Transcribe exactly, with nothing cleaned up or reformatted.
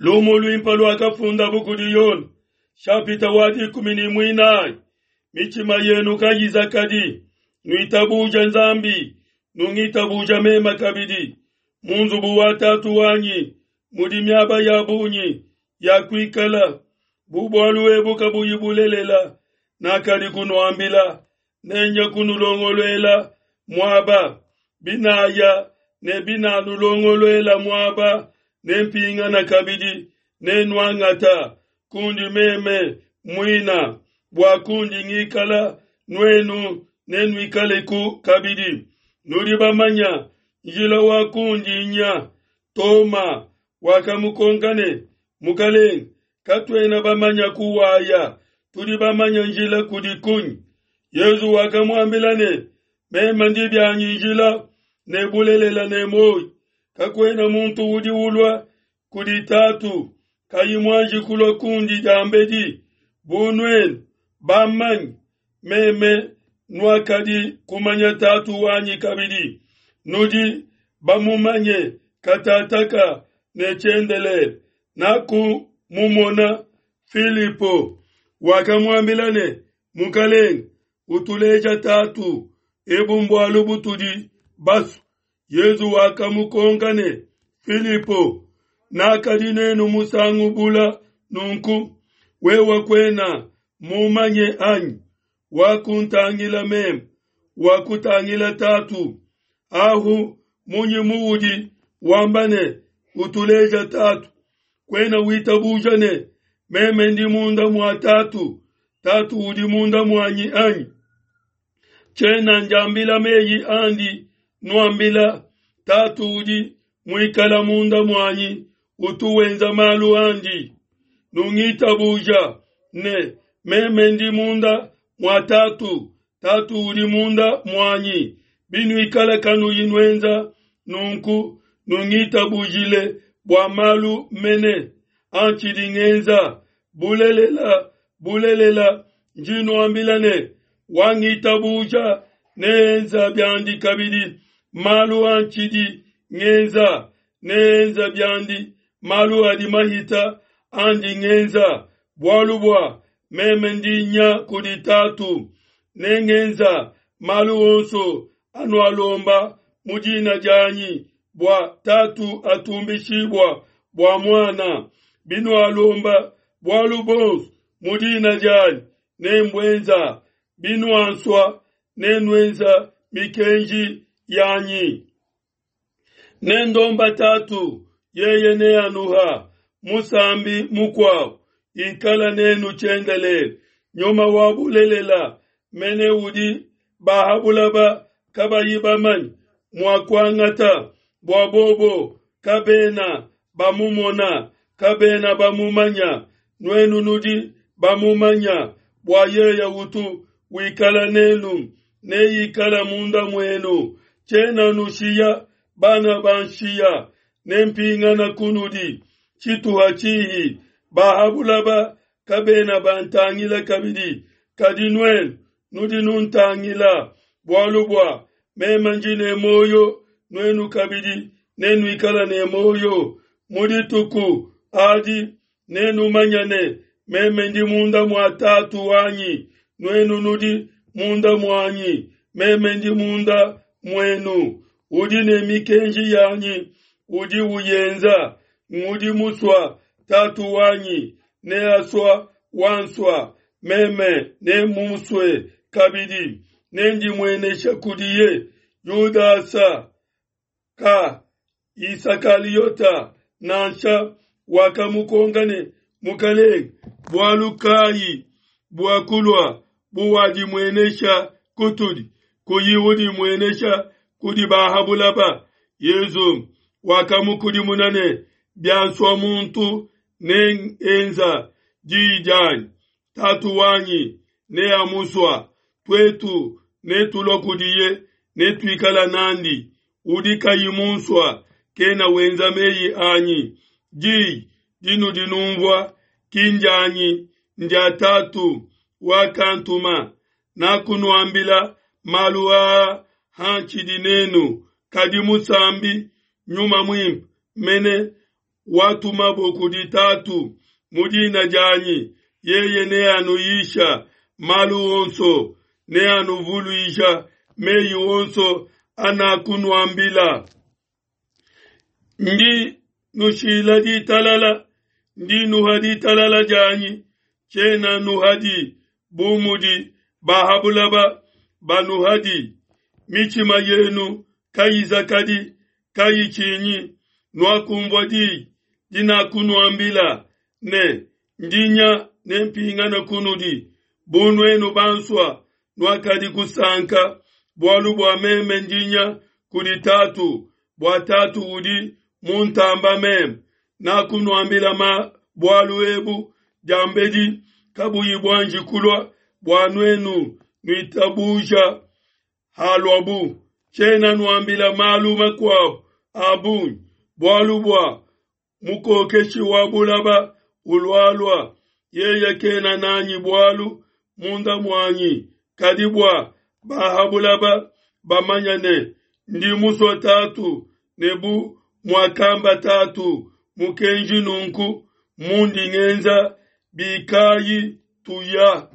Lumu luimpe luakafundabu kudi Yone, nshapita wa dikumi ne muinayi. Mitshima yenu kayizakadi, nuitabuja Nzambi, nungitabuja meme kabidi. Mu nzubu wa Tatu wanyi mudi miaba ya bungi ya kuikala. Bu bualu ebu kabuyi bulelela, nakadi kunuambila, nenye kunulongoluela muaba. Binaya ne binanulongoluela muaba, nempingana kabidi, nenuangata kundi meme muina, bua kundi ngikala nuenu nenuikaleku kabidi. Nudi bamanya njila wa kundi nya. Toma wakamukonka ne, Mukalenge, katuena bamanya kuwaya, tudi bamanya njila kudi kunyi? Yezu wakamuambila ne, meme ndi bianyi njila ne bulelela ne muoyo. Kakuena muntu udi ulua kudi Tatu kayi muanji kulua kundi diambedi. Bu nuenu bamanye meme, nuakadi kumanya Tatu wanyi kabidi. Nudi bamumanye katataka ne tshiendelele. Nakumumona. Filipo wakamuambila ne, Mukalenge, utuleja Tatu, ebu mbualu butudi basue. Yezu wakamukonka ne, Filipo, nakadi nenu musangu bula nunku, wewe kuena mumanye anyi? Wakuntangila meme, wakutangila Tatu. Ahu munyi muudi wamba ne, utuleja Tatu? Kuena witabuja ne, meme ndi munda mua Tatu, Tatu udi munda muanyi anyi? Tshiena njambila meyi andi nuambila, Tatu udi muikala munda muanyi utu wenza malu andi. Nungitabuja ne, meme ndi munda mua Tatu, Tatu udi munda muanyi. Binuikala kanuyi nuenza nunku, nungitabujile bua malu mene antshidi ngenza. Bulelela, bulelela, ndi nuambila ne, wangitabuja neenza biandi kabidi malu antshidi ngenza, neenza biandi malu adi mahita andi ngenza, bualu bua meme ndi nya kudi Tatu. Nengenza malu onso anualomba mu dina dianyi, bua Tatu atumbishibua bua Muana. Binualomba bualu bonso mu dina dianyi, nembuenza. Binuansua, nenuenza mikenji yanyi. Nendomba Tatu, yeye neanuha musambi mukuabu, ikala nenu tshiendelele. Nyuma wa bulelela mene udi bahabulaba kabayi bamanye mua kuangata, bua bobo kabena bamumona, kabena bamumanya. Nuenu nudi bamumanya, bua yeye utu wikala nenu, neikala munda muenu. Tshiena nushiya bana banshiya, nempingana kunudi tshituha tshihi. Bahabulaba kabena bantangila kabidi, kadi nuenu nudi nuntangila, bualu bua meme ndi ne muoyo, nuenu kabidi nenuikala ne muoyo. Mu dituku adi nenumanye ne, meme ndi munda mua Tatu wanyi, nuenu nudi munda muanyi, meme ndi munda muenu. Udi ne mikenji yanyi, udi uyenza, ngudi musua Tatu wanyi, neasua wansua, meme nemusue kabidi, nendimuenesha kudiye. Yudasa ka Isakaliota nansha wakamukonka ne, Mukalenge, bualu kayi bua kulua buwadimuenesha kutudi, kuyi udimuenesha kudi bahabulaba? Yezu wakamukudimuna ne, biansua muntu nengenza diyi dianyi, Tatu wanyi neamusua, tuetu netulua kudiye, netuikala nandi. Udi kayi munsua kena wenza meyi anyi. Diyi dinudi numvua ki ndianyi, ndia Tatu wakantuma. Nakunuambila malu aa hantshidi nenu, kadi musambi Nyuma Muimpe mene watumabo kudi Tatu mu dina dianyi, yeye neanuyisha malu onso, neanuvuluisha meyi onso anakunuambila. Ndi nushila ditalala, ndi nuha ditalala dianyi, tshiena nuhadi bu mudi ba ha buloba banuhadi. Mitshima yenu kayizakadi, kayitshinyi. Nuakunvua di dinakunuambila ne, Ndi nya, nempingane kunudi. Bu nuenu bansua, nuakadi kusanka, bualu bua meme ndi nya kudi Tatu, bua Tatu udi muntamba meme. Nakunuambila ma bualu ebu diambedi kabuyi buanji kulua, bua nuenu nuitabuja haluabu. Tshiena nuambila malu makuabu a bungi, bualu bua mukokeshi wa bulaba ulualua, yeye kena nanyi bualu munda muanyi, kadi bua ba ha bulaba bamanya ne, Ndi musue Tatu, ne bu muakamba Tatu mukenji nunku mundi ngenza. Bikayi tuya.